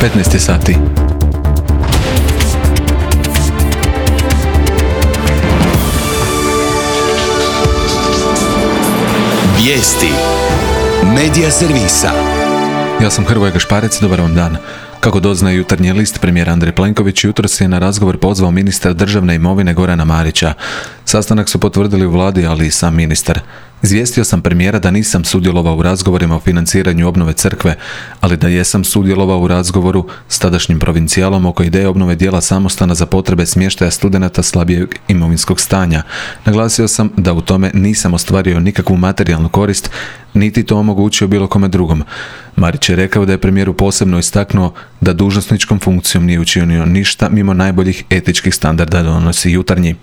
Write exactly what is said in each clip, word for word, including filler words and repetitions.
petnaest sati. Vijesti Medija servisa. Ja sam Hrvoje Gašparec, dobar vam dan. Kako doznaje Jutarnji list, premijer Andrej Plenković jutros je na razgovor pozvao ministra državne imovine Gorana Marića. Sastanak su potvrdili u vladi, ali i sam ministar. Izvijestio sam premijera da nisam sudjelovao u razgovorima o financiranju obnove crkve, ali da jesam sudjelovao u razgovoru s tadašnjim provincijalom oko ideje obnove dijela samostana za potrebe smještaja studenata slabijeg imovinskog stanja. Naglasio sam da u tome nisam ostvario nikakvu materijalnu korist, niti to omogućio bilo kome drugom. Marić je rekao da je premijeru posebno istaknuo da dužnosničkom funkcijom nije učinio ništa mimo najboljih etičkih standarda, donosi Jutarnji.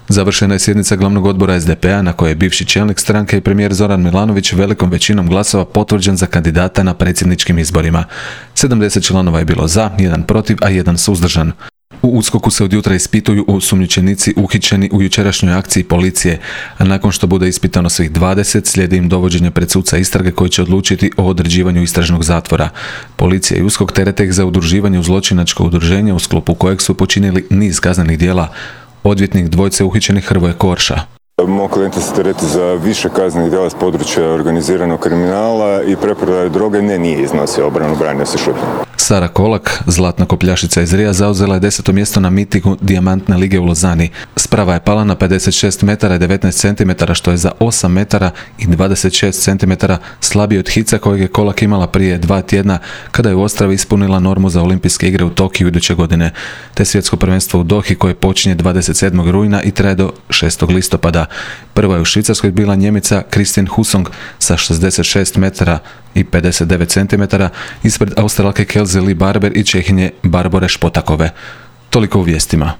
Završena je sjednica glavnog odbora es de pe a na kojoj je bivši čelnik stranke i premijer Zoran Milanović velikom većinom glasova potvrđen za kandidata na predsjedničkim izborima. sedamdeset članova je bilo za, jedan protiv, a jedan suzdržan. U USKOK-u se od jutra ispituju osumnjičenici uhićeni u jučerašnjoj akciji policije, a nakon što bude ispitano svih dvadeset, slijedi im dovođenje pred suca istrage koji će odlučiti o određivanju istražnog zatvora. Policija i USKOK terete ih za udruživanje u zločinačko udruženje u sklopu kojeg su počinili niz kaznenih djela. Odvjetnik dvojce uhićenih Hrvoje Korša. Moj klijent se tereti za više kaznenih djela s područja organiziranog kriminala i preprodaje droge, ne, nije iznosio obranu, branio se šutnjom. Sara Kolak, zlatna kopljašica iz Rija, zauzela je deseto mjesto na mitingu Dijamantne lige u Lozani. Sprava je pala na pedeset šest metara i devetnaest centimetara, što je za osam metara i dvadeset šest centimetara slabije od hica kojeg je Kolak imala prije dva tjedna kada je u Ostravi ispunila normu za olimpijske igre u Tokiju iduće godine. Te svjetsko prvenstvo u Dohi koje počinje dvadeset sedmog rujna i traje do šestog listopada. Prva je u Švicarskoj bila Njemica Kristin Husong sa šezdeset šest metara i pedeset devet centimetara ispred Australke Kelze Lee Barber i Čehinje Barbore Špotakove. Toliko u vijestima.